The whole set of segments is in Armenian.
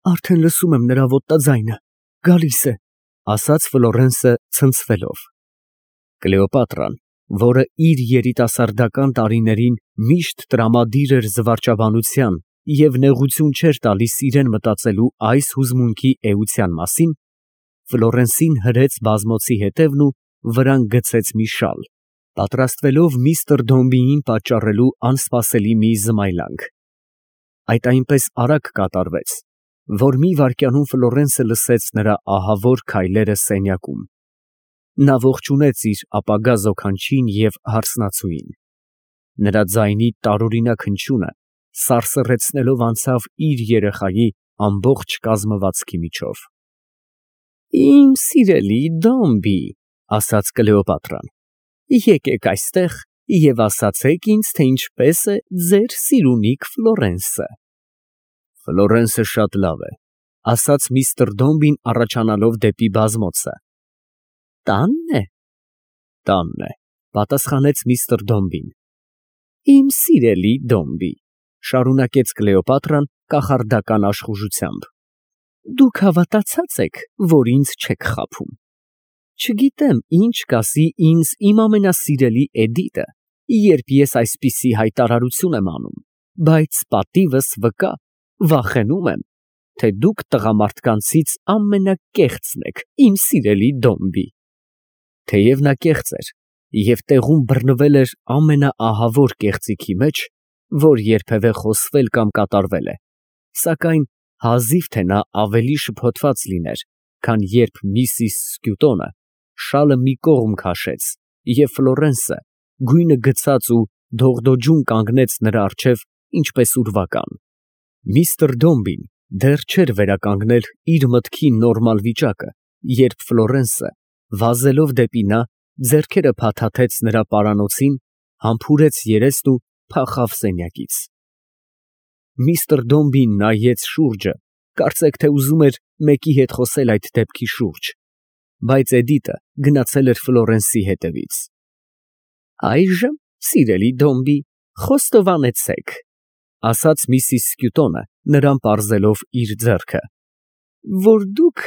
Արդեն լսում եմ նրա ոտնաձայնը, գալիս է, ասաց Ֆլորենսը ցնցվելով։ Կլեոպատրան, որը իր երիտասարդական տարիներին միշտ տրամադիր էր զվարճաբանության և նեղություն չէր տալիս իրան մտածելու այս հուզմունքի էության մասին, Ֆլորենսին հրեց բազմոցի հետևն ու վրան գցեց մի շալ, պատրաստվելով միստր Դոմբիին պատճառելու անսպասելի մի զմայլանք։ Այդ այնպես արագ կատարվեց, որ մի վայրկյանում Ֆլորենսը լսեց նրա ահավոր քայլերը սենյակում։ Նա ողջունեց իր ապագա զոքանչին և հարսնացուին։ Նրա ձայնի տարօրինակ հնչյունը սարսռեցնելով անցավ իր երեխայի ամբողջ կազմվածքի միջով։ «Իմ սիրելի Դոմբի», ասաց Կլեոպատրան, «եկեք այստեղ և ասացեք ինձ, թե ինչպես է ձեր սիրունիք Ֆլորենսը»։ «Ֆլորենսը շատ լավ է», ասաց միստր Դոմբին առաջանալով դեպի բազմոցը։ «Տա՞նն է»։ «Տանն է», պատասխանեց միստր Դոմբին։ «Իմ սիրելի Դոմբի», շարունակեց Կլեոպատրան կախարդական աշխուժությամբ, «դուք հավատացած եք, որ ինձ չեք խաբում։ Չգիտեմ, ինչ կասի ինձ իմ ամենասիրելի Էդիտը, երբ ես այսպիսի հայտարարություն եմ անում, բայց պատիվս վկա, վախենում եմ, թե դուք տղամարդկանցից ամենակեղծն եք, իմ սիրելի Դոմբի»։ Թեև նա կեղծ էր և տեղում բռնվել էր ամենաահավոր կեղծիքի մեջ, որ երբևէ խոսվել կամ կատարվել է, սակայն հազիվ թե նա ավելի շփոթված լիներ, քան երբ միսիս Սկյուտոնը շալը մի կողմ քաշեց, և Ֆլորենսը գույնը գցած ու դողդոջուն կանգնեց նրա առջև ինչպես ուրվական։ Միստր Դոմբին դեռ չէր վերականգնել իր մտքի նորմալ վիճակը, երբ Ֆլորենսը, վազելով դեպի նա, ձեռքերը փաթաթեց նրա պարանոցին, համբուրեց երեստ ու փախավ սենյակից։ Միստր Դոմբին նայեց շուրջը, կարծեք թե ուզում էր մեկի հետ խոսել այդ դեպքի շուրջ, բայց Էդիտը գնացել էր Ֆլորենսի հետևից։ «Այժմ, սիրելի Դոմբի, խոստովանեցեք», ասաց միսիս Սկյուտոնը, նրան պարզելով իր ձեռքը, «որ դուք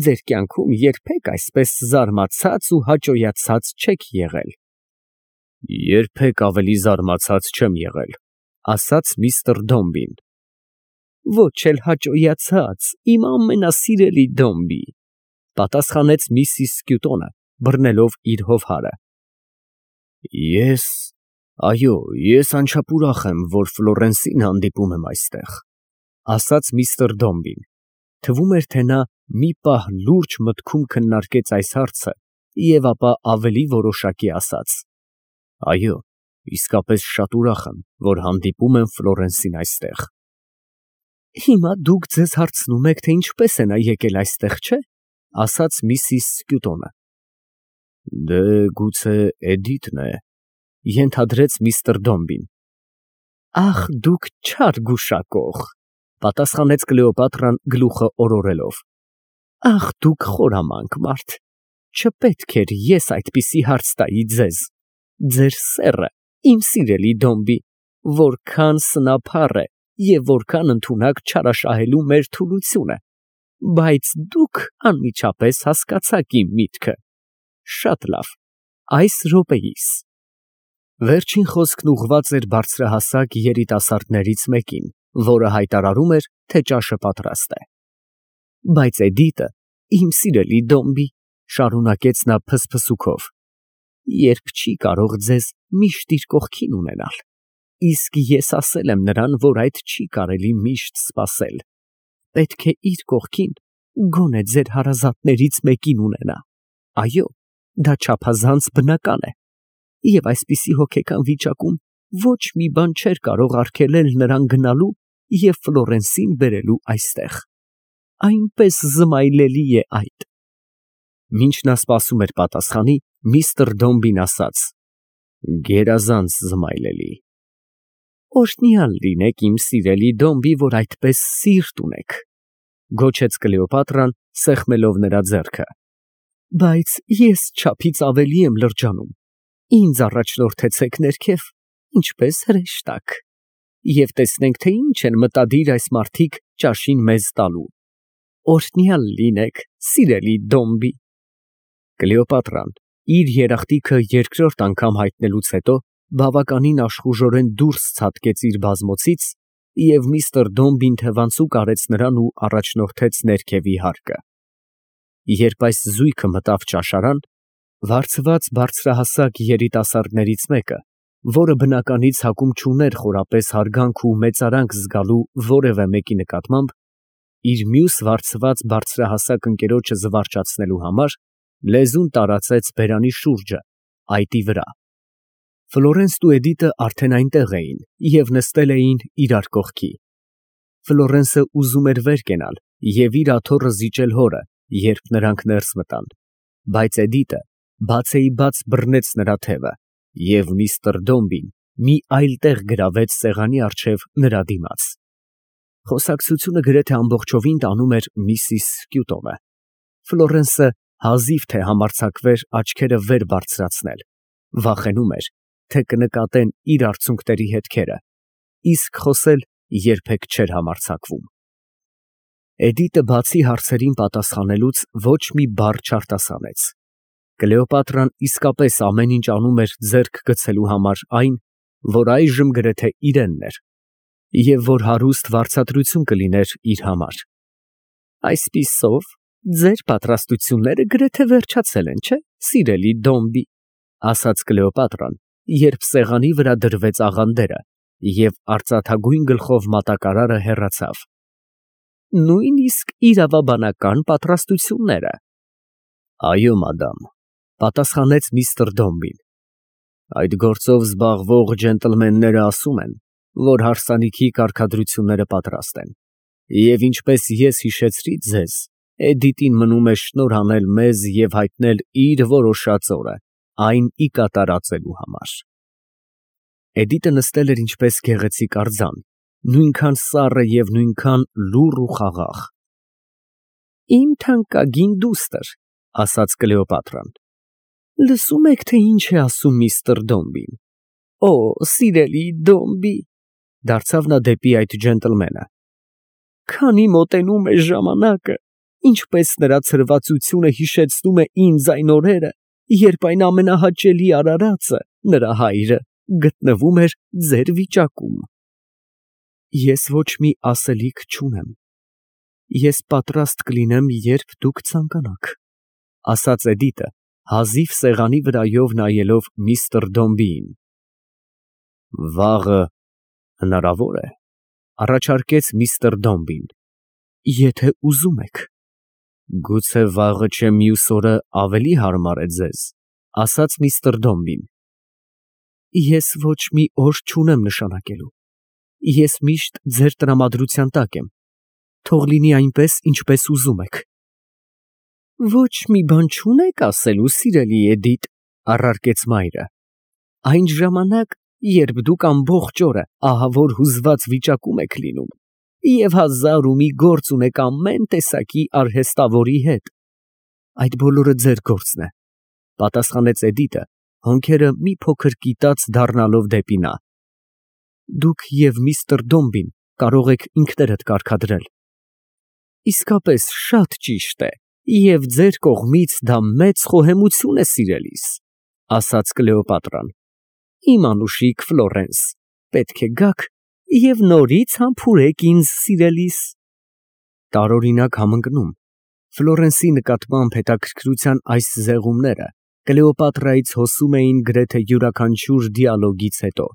ձեր կյանքում երբեք այսպես զարմացած ու հաճոյացած չեք եղել»։ «Երբեք ավելի զարմացած չեմ եղել», ասաց միստր Դոմբին։ «Ոչ էլ հաճոյացած, իմ ամենասիրելի Դոմբի», պատասխանեց միսիս Սկյուտոնը, բռնելով իր հովհարը։ Այո, ես անչափ ուրախ եմ, որ Ֆլորենսին հանդիպում եմ այստեղ, ասաց միստր Դոմբին։ Թվում էր, թե նա մի պահ լուրջ մտքում քննարկեց այս հարցը և ապա ավելի որոշակի ասաց. «Այո, իսկապես շատ ուրախ եմ, որ հանդիպում եմ Ֆլորենսին այստեղ»։ «Հիմա դուք ձեզ հարցնում եք, թե ինչպես է նա եկել այստեղ, չէ՞, ասաց միսիս Սկյուտոնը։ Դե, գուցե Էդիտն է, ենթադրեց միստր Դոմբին։ «Ախ, դուք չար գուշակող», պատասխանեց Կլեոպատրան գլուխը օրորելով։ «Ախ, դուք խորամանկ մարդ, չպետք էր ես այդպիսի հարց տայի ձեզ։ Ձեր սեռը, իմ սիրելի Դոմբի, որքան սնափառ է և որքան ընդունակ չարաշահելու մեր թուլությունը, բայց դուք անմիջապես հասկացաք իմ միտքը։ Շատ լավ, այս րոպեիս»։ Վերջին խոսքն ուղղված էր բարձրահասակ երիտասարդներից մեկին, որը հայտարարում էր, թե ճաշը պատրաստ է։ «Բայց Էդիտը, իմ սիրելի Դոմբի, շարունակեց նա փսփսուքով, երբ չի կարող ձեզ միշտ իր կողքին ունենալ, իսկ ես ասել եմ նրան, որ այդ չի կարելի միշտ սպասել, պետք է իր կողքին գոնե ձեր հարազատներից մեկին ունենա։ Այո, դա չափազանց բնական է, և այսպիսի հոգեկան վիճակում ոչ մի բան չէր կարող արգելել նրան գնալու և Ֆլորենսին բերելու այստեղ։ Այնպես զմայլելի է այդ։ Մինչ նա սպասում էր պատասխանի, միստր Դոմբին ասաց. «Գերազանց զմայլելի»։ «Օրհնյալ լինեք, իմ սիրելի Դոմբի, որ այդպես սիրտ ունեք», գոչեց Կլեոպատրան, սեղմելով նրա ձեռքը։ «Բայց ես չափից ավելի եմ լրջանում, ինձ առաջնորդեցեք ներքև, ինչպես հրեշտակ»։ և տեսնենք, թե ինչ են մտադիր այս մարդիկ ճաշին մեզ տալու։ Օրհնյալ լինեք, սիրելի Դոմբի։ Կլեոպատրան իր երախտիկը երկրորդ անգամ հայտնելուց հետո բավականին աշխուժորեն դուրս ցատկեց իր բազմոցից և միստր Դոմբին թևանցուկ արեց նրան ու առաջնորդեց ներքևի հարկը։ Երբ այս զույգը մտավ ճաշարան, վարձված բարձրահասակ երիտասարդներից մեկը, որը բնականից հակում չուներ խորապես հարգանք ու մեծարանք զգալու որևէ մեկի նկատմամբ, իր մյուս վարձված բարձրահասակ ընկերոջը զվարճացնելու համար լեզուն տարածեց բերանի շուրջը, այտի վրա։ Ֆլորենսն ու Էդիտը արդեն այնտեղ էին և նստել էին իրար կողքի։ Ֆլորենսը ուզում էր վեր կենալ և իր աթոռը զիջել հորը, երբ նրանք ներս մտան, բայց Էդիտը բացեիբաց բռնեց նրա թևը, և միստր Դոմբին մի այլ տեղ գրավեց սեղանի առջև նրա դիմաց։ Խոսակցությունը գրեթե ամբողջովին տանում էր միսիս Սկյուտովը։ Ֆլորենսը հազիվ թե համարձակվեր աչքերը վեր բարձրացնել, վախենում էր, թե կնկատեն իր արցունքների հետքերը, իսկ խոսել երբեք չէր համարձակվում։ Էդիտը բացի հարցերին պատասխանելուց ոչ մի բառ չարտասանեց։ Կլեոպատրան իսկապես ամեն ինչ անում էր ձեռք գցելու համար այն, որ այժմ գրեթե իրենն էր, և որ հարուստ վարձատրություն կլիներ իր համար։ Այսպիսով, ձեր պատրաստությունները գրեթե վերջացել են, չէ՞, սիրելի Դոմբի, ասաց Կլեոպատրան, երբ սեղանի վրա դրվեց աղանդերը, և արծաթագույն գլխով մատակարարը հեռացավ։ Նույնիսկ իրավաբանական պատրաստությունները։ Այո, մադամ, պատասխանեց միստր Դոմբին։ Այդ գործով զբաղվող ջենտլմենները ասում են, որ հարսանիքի կարգադրությունները պատրաստ են, և ինչպես ես հիշեցրի ձեզ, Էդիտին մնում է շնորհ անել մեզ և հայտնել իր որոշած օրը այն ի կատարածելու համար։ Էդիտը նստել էր ինչպես գեղեցիկ արձան, նույնքան սառը և նույնքան լուռ ու խաղաղ։ Իմ թանկագին դուստր, ասաց Կլեոպատրան, լսում եք, թե ինչ է ասում միստր Դոմբին։ Օ, սիրելի Դոմբի, դարձավ նա դեպի այդ ջենտլմենը, քանի մոտենում է ժամանակը, ինչպես նրա ցրվածությունը հիշեցնում է ինձ այն օրերը, երբ այն ամենահաճելի արարածը, նրա հայրը, գտնվում էր ձեր վիճակում։ Ես ոչ մի ասելիք չունեմ։ Ես պատրաստ կլինեմ, երբ դուք ցանկանաք, ասաց Էդիտը, հազիվ սեղանի վրայով նայելով միստր Դոմբիին։ Վաղը հնարավոր է, առաջարկեց միստր Դոմբին, եթե ուզում եք։ Գուցե վաղը չէ մյուս օրը ավելի հարմար է ձեզ, ասաց միստր Դոմբին։ Ես ոչ մի օր չունեմ նշանակելու։ Ես միշտ ձեր տրամադրության տակ եմ։ Թող լինի այնպես, ինչպես ուզում եք։ Ոչ մի բան չունեք ասելու, սիրելի Էդիտ, առարկեց մայրը։ Այն ժամանակ, երբ դուք ամբողջ օրը ահավոր հուզված վիճակում եք լինում, և հազար ու մի գործ ունեք ամեն տեսակի արհեստավորի հետ։ Այդ բոլորը ձեր գործն է, պատասխանեց Էդիտը, հոնքերը մի փոքր կիտած դառնալով դեպի նա։ Դուք և միստր Դոմբին կարող եք ինքներդ կարգադրել։ Իսկապես շատ ճիշտ է, և ձեր կողմից դա մեծ խոհեմություն է, սիրելիս, ասաց Կլեոպատրան։ Իմ անուշիկ Ֆլորենս, պետք է գաք և նորից համբուրեք ինձ, սիրելիս։ Տարօրինակ համընկնում, Ֆլորենսի նկատմամբ հետաքրքրության այս զեղումները Կլեոպատրայից հոսում էին գրեթե յուրաքանչյուր դիալոգից հետո,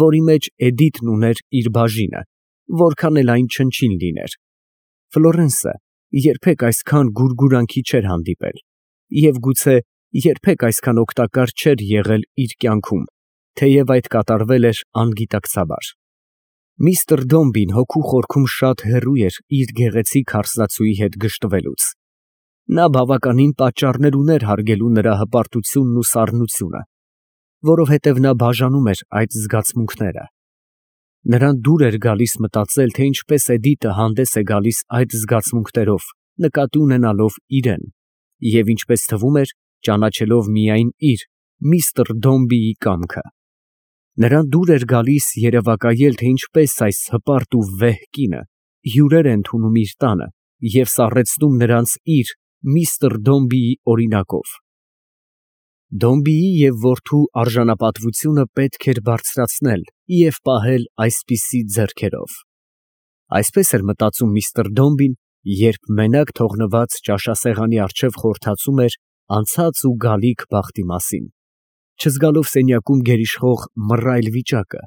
որի մեջ Էդիտն ուներ իր բաժինը, որքան էլ այն չնչին լիներ։ Ֆլորենսը երբեք այսքան գուրգուրանքի չէր հանդիպել և գուցե երբեք այսքան օգտակար չէր եղել իր կյանքում, թեև այդ կատարվել էր անգիտակցաբար։ Միստր Դոմբին հոգու խորքում շատ հեռու էր իր գեղեցիկ հարսնացուի հետ գժտվելուց։ Նա բավականին պատճառներ ուներ հարգելու նրա հպարտությունն ու սառնությունը, որովհետև նա բաժանում էր այդ զգացմունքները։ Նրան դուր էր գալիս մտածել, թե ինչպես Էդիտը հանդես է գալիս այդ զգացմունքներով, նկատի ունենալով իրեն, և ինչպես թվում էր, ճանաչելով միայն իր՝ միստր Դոմբիի կամքը։ Նրան դուր էր գալիս երևակայել, թե ինչպես այս հպարտ ու վեհ կինը հյուրեր է ընդունում իր տանը և սառեցնում նրանց իր միստր Դոմբիի օրինակով։ Դոմբիի և որդու արժանապատվությունը պետք էր բարձրացնել և պահել այսպիսի ձեռքերով։ Այսպես էր մտածում միստր Դոմբին, երբ մենակ թողնված ճաշասեղանի առջև խորհրդածում էր անցած ու գալիք բախտի մասին, չզգալով սենյակում գերիշխող մռայլ վիճակը,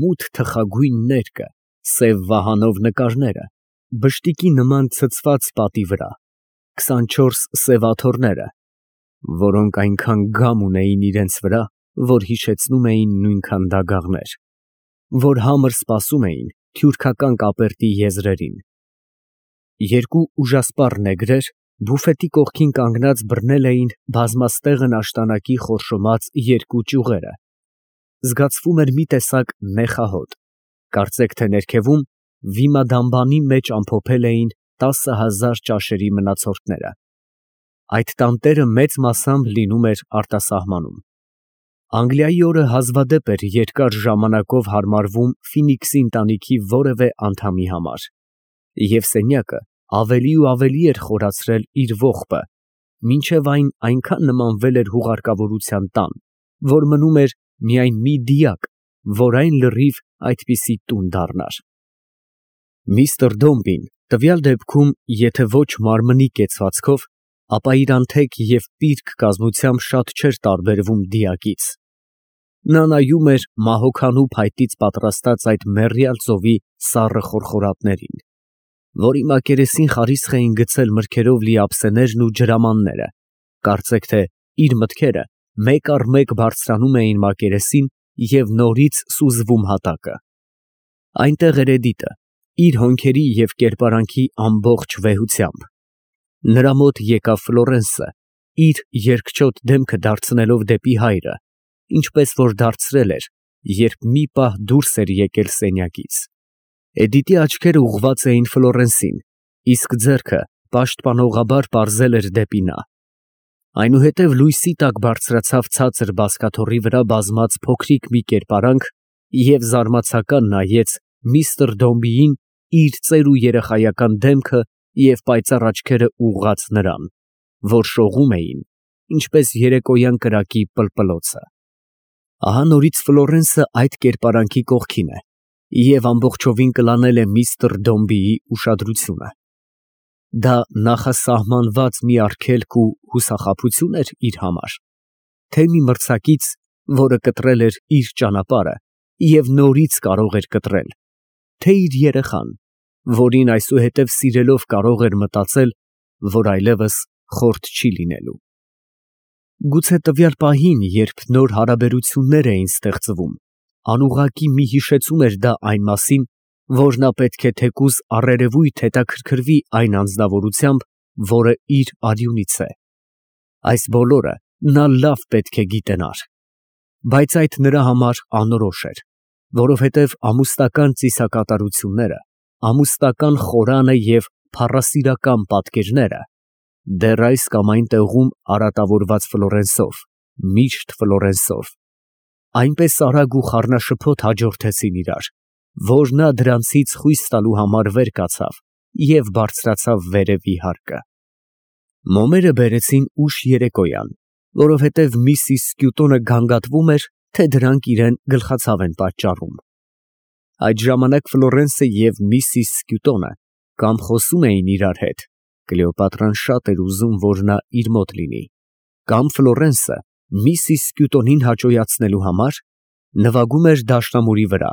մութ թխագույն ներկը, սև վահանով նկարները, բշտիկի նման ցցված պատի վրա, 24 սև աթոռները, որոնք այնքան գամ ունեին իրենց վրա, որ հիշեցնում էին նույնքան դագաղներ, որ համր սպասում էին թյուրքական կապերտի եզրերին։ Երկու ուժասպառ նեգրեր բուֆետի կողքին կանգնած բռնել էին բազմաստեղն աշտանակի խորշոմած երկու ճյուղերը, զգացվում էր մի տեսակ նեխահոտ, կարծեք թե ներքևում վիմադամբանի մեջ ամփոփել էին 10,000 ճաշերի մնացորդները։ Այդ տանտերը մեծ մասամբ լինում էր արտասահմանում։ Անգլիայի օրը հազվադեպ էր երկար ժամանակով հարմարվում Ֆինիքսի ընտանիքի որևէ անդամի համար, և սենյակը ավելի ու ավելի էր խորացրել իր ողբը, մինչև այն այնքան նմանվել էր հուղարկավորության տան, որ մնում էր միայն մի դիակ, որ այն լրիվ այդպիսի տուն դառնար։ Միստր Դոմբին տվյալ դեպքում, եթե ոչ մարմնի կեցվածքով, ապա իր անթեք և պիրկ կազմությամբ շատ չէր տարբերվում դիակից։ Նա նայում էր մահոքանու փայտից պատրաստած այդ մեռյալ ծովի սառը խորխորատներին, որի մակերեսին խարիսխ էին գցել մրգերով լի ափսեներն ու ջրամանները, կարծեք թե իր մտքերը մեկ առ մեկ բարձրանում էին մակերեսին և նորից սուզվում հատակը։ Այնտեղ էր Էդիտը, իր հոնքերի և կերպարանքի ամբողջ վեհությամբ։ Նրա մոտ եկավ Ֆլորենսը, իր երկչոտ դեմքը դարձնելով դեպի հայրը, ինչպես որ դարձրել էր, երբ մի պահ դուրս էր եկել սենյակից։ Էդիտի աչքերը ուղղված էին Ֆլորենսին, իսկ ձեռքը պաշտպանողաբար պարզել էր դեպի նա։ Այնուհետև լույսի տակ բարձրացավ ցածր բազկաթոռի վրա բազմած փոքրիկ մի կերպարանք և զարմացական նայեց միստր Դոմբիին իր ծեր ու երեխայական դեմքը և պայծառ աչքերը ուղղած նրան, որ շողում էին, ինչպես երեկոյան կրակի պլպլոցը։ Ահա նորից Ֆլորենսը այդ կերպարանքի կողքին է և ամբողջովին կլանել է միստր Դոմբիի ուշադրությունը։ Դա նախասահմանված մի արգելք ու հուսախաբություն էր իր համար, թե մի մրցակից, որը կտրել էր իր ճանապարհը և նորից կարող էր կտրել, թե իր երեխան, որին այսուհետև սիրելով կարող էր մտածել, որ այլևս խորտ չի լինելու։ Գուցե տվյալ պահին, երբ նոր հարաբերություններ էին ստեղծվում, անուղղակի մի հիշեցում էր դա այն մասին, որ նա պետք է թեկուզ առերևույթ հետաքրքրվի այն անձնավորությամբ, որը իր արյունից է։ Այս բոլորը նա լավ պետք է գիտենար, բայց այդ նրա համար անորոշ էր, որովհետև ամուսնական ծիսակատարությունները, ամուսնական խորանը և փառասիրական պատկերները դեռ այս կամ այն տեղում արատավորված Ֆլորենսով, միշտ Ֆլորենսով, այնպես արագ ու խառնաշփոթ հաջորդեցին իրար, որ նա դրանցից խույս տալու համար վեր կացավ և բարձրացավ վերևի հարկը։ Մոմերը բերեցին ուշ երեկոյան, որովհետև միսիս Սկյուտոնը գանգատվում էր, թե դրանք իրան գլխացավ են պատճառում։ Այդ ժամանակ Ֆլորենսը և միսիս Սկյուտոնը կամ խոսում էին իրար հետ, Կլեոպատրան շատ էր ուզում, որ նա իր մոտ լինի, կամ Ֆլորենսը միսիս Սկյուտոնին հաճոյացնելու համար նվագում էր դաշնամուրի վրա,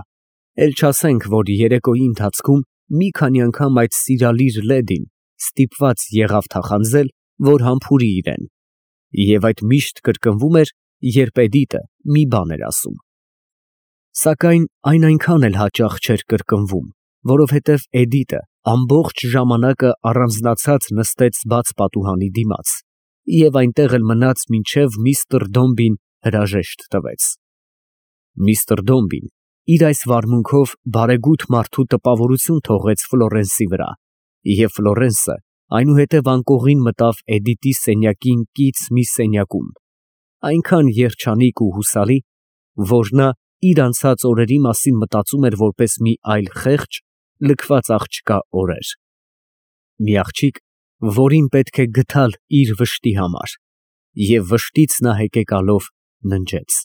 էլ չասենք, որ երեկոյի ընթացքում մի քանի անգամ այդ սիրալիր լեդին ստիպված եղավ թախանձել, որ համբուրի իրան, և այդ միշտ կրկնվում էր, երբ Էդիտը մի բան էր ասում։ Սակայն այն այնքան էլ հաճախ չէր կրկնվում, որովհետև Էդիտը ամբողջ ժամանակը առանձնացած նստեց բաց պատուհանի դիմաց և այնտեղ էլ մնաց, մինչև միստր Դոմբին հրաժեշտ տվեց։ Միստր Դոմբին իր այս վարմունքով բարեգութ մարդու տպավորություն թողեց Ֆլորենսի վրա, և Ֆլորենսը այնուհետև անկողին մտավ Էդիտի սենյակին կից մի սենյակում, այնքան երջանիկ ու հուսալի, որ նա իր անցած օրերի մասին մտածում էր որպես մի այլ խեղճ, լքված աղջկա օրեր, մի աղջիկ, որին պետք է գթալ իր վշտի համար, և վշտից նա հեկեկալով ննջեց։